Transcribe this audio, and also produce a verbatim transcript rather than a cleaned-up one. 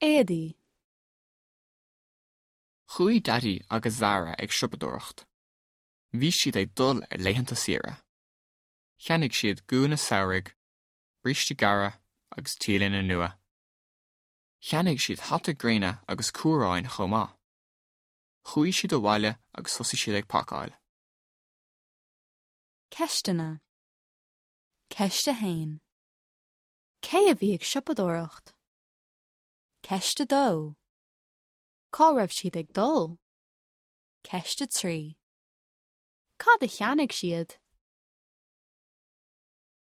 Éadaí. Chuaigh Daidí agus Zara ag siopadóireacht. Bhí siad ag dul ar laethanta saoire. Cheannaigh siad gúna samhraidh, bríste gearra agus T-léine nua. Cheannaigh siad hata gréine agus cuaráin chomh maith. Chuaigh siad abhaile agus thosaigh siad ag pacáil. Ceisteanna. Ceist a haon. Cé a bhí ag siopadóireacht? Ceist a dó. Cá raibh siad ag dul? Ceist a trí. Cad a cheannaigh siad?